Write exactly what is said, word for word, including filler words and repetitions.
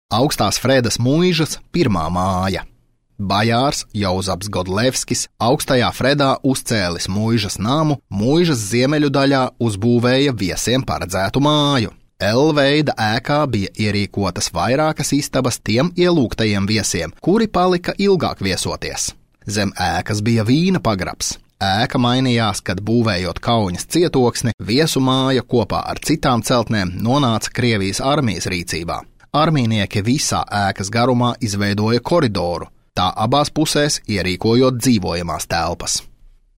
Augstās Fredas muižas pirmā māja. Bajārs Jauzaps Godlevskis augstajā Fredā uzcēlis muižas namu, muižas ziemeļu daļā uzbūvēja viesiem paredzētu māju. L-veida ēkā bija ierīkotas vairākas istabas tiem ielūgtajiem viesiem, kuri palika ilgāk viesoties. Zem ēkas bija vīna pagrabs. Ēka mainījās, kad būvējot Kauņas cietoksni, viesu māja kopā ar citām celtnēm nonāca Krievijas armijas rīcībā. Armijnieki visā ēkas garumā izveidoja koridoru, tā abās pusēs ierīkojot dzīvojamās telpas.